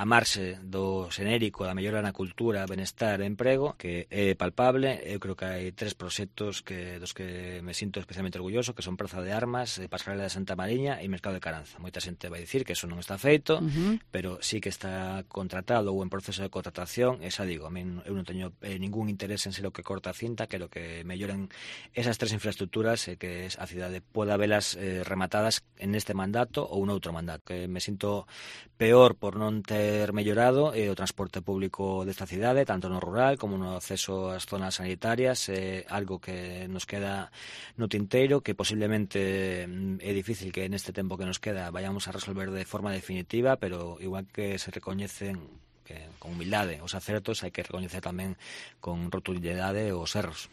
marxe do xenérico da mellora na cultura, benestar e emprego, que é palpable. Eu creo que hai 3 proxectos dos que me sinto especialmente orgulloso, que son Praza de Armas, Pasarela de Santa Mariña e Mercado de Caranza. Moita xente vai dicir que eso non está feito, pero sí que está contratado ou en proceso de contratación. E xa digo, a min eu non teño ningún interés en ser o que corta a cinta, quero que melloren esas 3 infraestructuras e que a cidade poda velas rematadas en este mandato ou noutro mandato. Que me sinto peor por non ter mellorado o transporte público desta cidade, tanto no rural como no acceso ás zonas sanitarias. É algo que nos queda no tinteiro, que posiblemente é difícil que neste tempo que nos queda vayamos a resolver de forma definitiva, pero igual que se recoñecen con humildade os acertos, hai que recoñecer tamén con rotundidade os erros.